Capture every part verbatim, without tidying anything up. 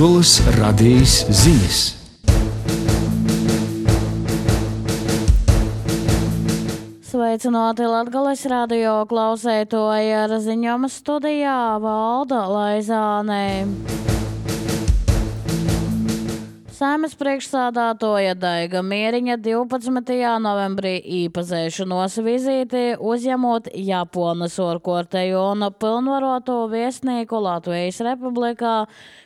Latvijas radijas ziņas. Sveicināti Latgales radio klausētoji, ar ziņām studijā Valda Laizāne. Saeimas priekšsādātoja Daiga Mieriņa divpadsmitajā novembrī īpazēšanos vizīti uzņemot Japonas orkorteju un pilnvaroto viesnīku Latvijas Republikā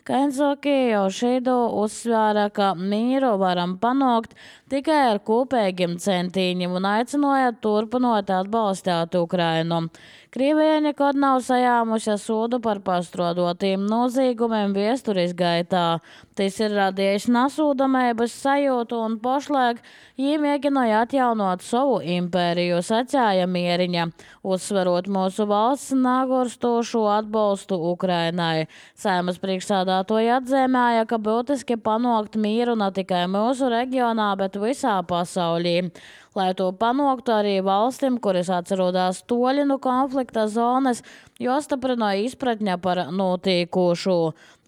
Kensuke Jošidu uzsvēra, ka mīru varam panākt tikai ar kopīgiem centīņiem un aicināja turpinot atbalstīt Ukrainu. Krievija nekad nav sajāmusi sodu par pastrādotiem noziegumiem vēstures gaitā. Tas ir radījis nasūdamības sajūtu un pašlaik viņi mēģināja atjaunot savu impēriju, sacīja Mieriņa, uzsverot mūsu valsts nagurstošo atbalstu Ukrainai. Saeimas priekšsādātoja atzīmēja, ka būtiski panākt mieru ne tikai mūsu reģionā, bet visā pasaulī. Lai to panāktu arī valstīm, kuras atrodas toļi no konflikta zonas, jostiprināja izpratņa par notiekošo.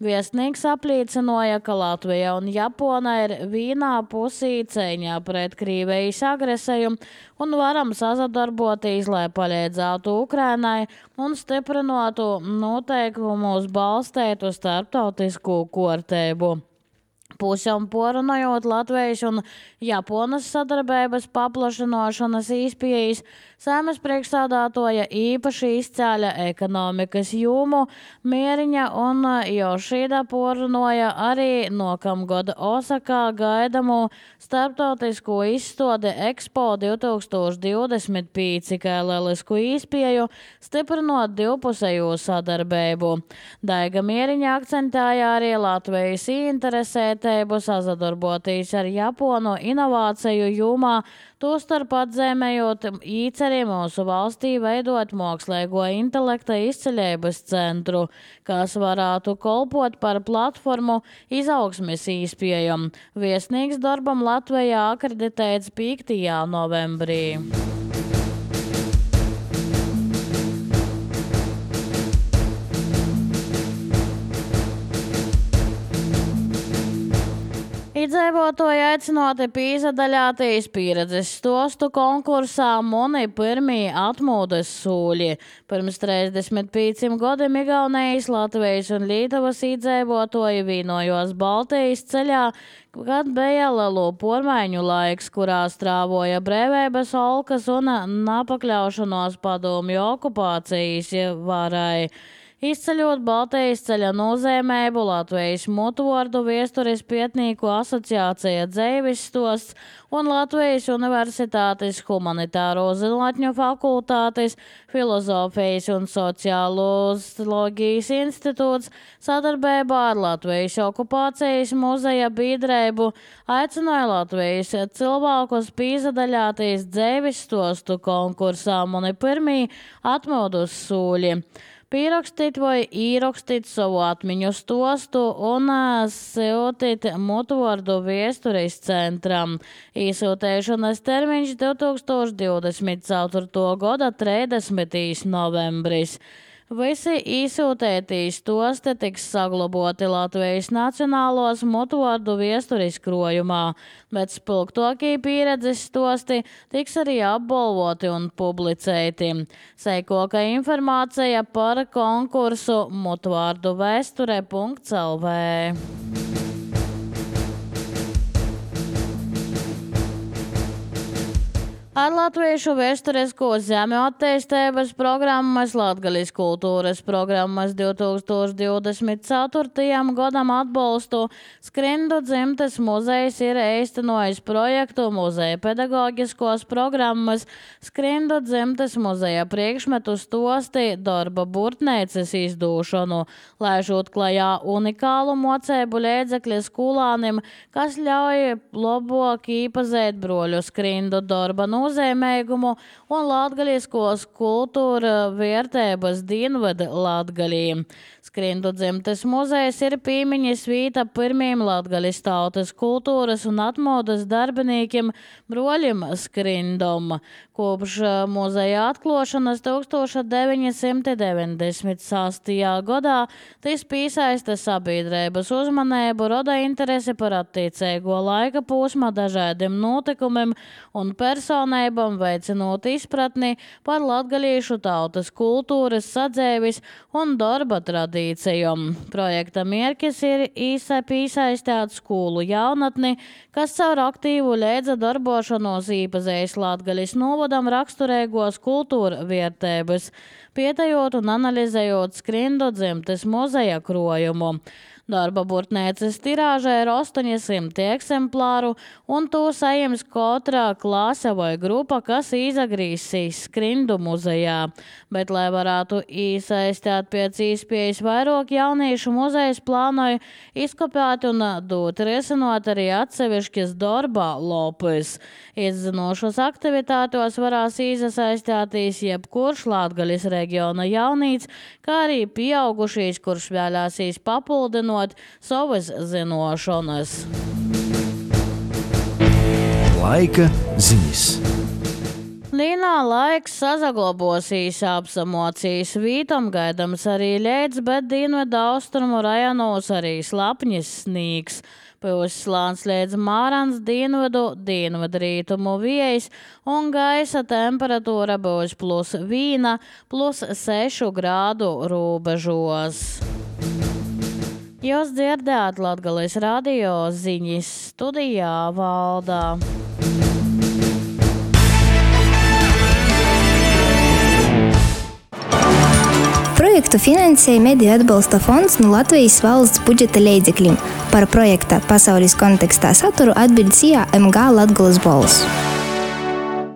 Viesnīgs apliecināja, ka Latvija un Japona ir vienā pusī cīņā pret Krievijas agresiju un varam sadarboties, lai palīdzētu Ukrainai un stiprinātu noteikumus balstētu starptautisku kārtību. Pusēm porunājot Latvijas un Japonas sadarbības paplašināšanas iespējas, Saeimas priekšsādātoja īpaši izcēļa ekonomikas jomu. Mieriņa un Jošida porunāja arī nākamgad Osakā gaidamo starptautisko izstādi Expo divtūkstoš divdesmit pieci, kā lielisku iespēju stiprinot divpusējo sadarbību. Daiga Mieriņa akcentēja arī Latvijas interesētību sadarboties ar Japonu inovāciju jomā, tostarp atzīmējot īceri mūsu valstī veidot mākslīgo intelekta izceļības centru, kas varētu kalpot par platformu izaugsmes iespējām. Viesnīgs darbam Latvijā akreditēts piektajā novembrī. Iedzīvotāji aicināti piedalīties pieredzes stostu konkursā Muni pirmie atmodas sūļi. Pirms trīsdesmit pieciem gadiem Igaunijas, Latvijas un Lietuvas iedzīvotāji vienojos Baltijas ceļā, kad bija lielo pormaiņu laiks, kurā strāvoja brīvības olkas un napakļaušanos padomju okupācijas varai. Izceļot Baltijas ceļa nozīmību, Latvijas mutvordu vēstures pētnieku asociācija Dzeivis stosts un Latvijas Universitātes humanitāro zinātņu fakultātes, filozofijas un sociāloloģijas institūts sadarbībā ar Latvijas okupācijas muzeja biedrību aicināja Latvijas cilvēkus piedalīties Dzeivis stostu konkursā Muni pirmie atmodas sūļi. Pierakstīt vai īrakstīt savu atmiņu stostu un sūtīt mutvordu vēstures centram. Īsūtēšanas termiņš divtūkstoš divdesmit ceturtā gada trīsdesmitais novembris. Visi īsūtētīs stosti tiks saglabāti Latvijas Nacionālos mutvordu vēstures krojumā, bet spilgtākie pieredzes stosti tiks arī apbalvoti un publicēti. Seikoka informācija par konkursu mutvordu vēsture punkts el vē. Ar latviešu vēsturisko zemju attīstības programmas, Latgales kultūras programmas divtūkstoš divdesmit ceturtajam gadam atbalstu Skrindu dzimtes muzejs ir īstenojis projektu muzeja pedagoģiskos programmas Skrindu dzimtes muzeja priekšmetu stosti darba burtnēces izdūšanu, laižot klajā unikālu mocēbu līdzekļu skolānim, kas ļauj labāk īpazēt broļu Skrindu darba nozīmējumu un latgaliskos kultūra vērtības dienvada Latgalī. Skrindu dzimtes muzejs ir piemiņas vīta pirmiem Latgalis tautas kultūras un atmodas darbiniekiem broļim Skrindom, Kopš muzeja atklāšanas deviņdesmit sastajā gadā tas piesaista sabiedrības uzmanību, roda interesi par attiecīgo laika posma dažādiem notikumiem un personībām, veicinot izpratni par latgalīšu tautas kultūras, sadzēvis un darba tradīcijām. Projekta mērķis ir īsa piesaistīt skolu jaunatni, kas caur aktīvu leidza darbošanos īpazīst Latgalis novadam raksturīgos kultūra vērtības, pētējot un analizējot Skrindu dzimtes muzeja krojumu. Darba burtnēces tirāža ir astoņsimt eksemplāru, un to saņems katra klase vai grupa, kas izagrīsīs Skrindu muzejā. Bet, lai varētu iesaistīt pēc iespējas vairāk jauniešu, muzejs plānoja izkopēt un dot risinot arī atsevišķas darba lopus. Izzinošos aktivitātos varās iesaistīties jebkurš Latgalis reģiona jaunīts, kā arī pieaugušīs, kurš vēlēsīs papildinot savas zinošanas. Laika ziņas. Līnā laiks sazaglabosīs apsamocīs vītam gaidams arī ļēdz, bet dienvidu austrumu rajonos arī slapņas snīgs. Pilslāns līdz mārans dienvidu, dienvidu rītumu viejas un gaisa temperatūra būs plus viena, plus sešu grādu robežos. Jūs dzirdējāt Latgalis radio ziņas, studijā Valdā. Projektu finansēja Mediju atbalsta fonds no Latvijas valsts budžeta līdzekļiem. Par projekta pasaules kontekstā saturu atbild C I A M G Latgales balss.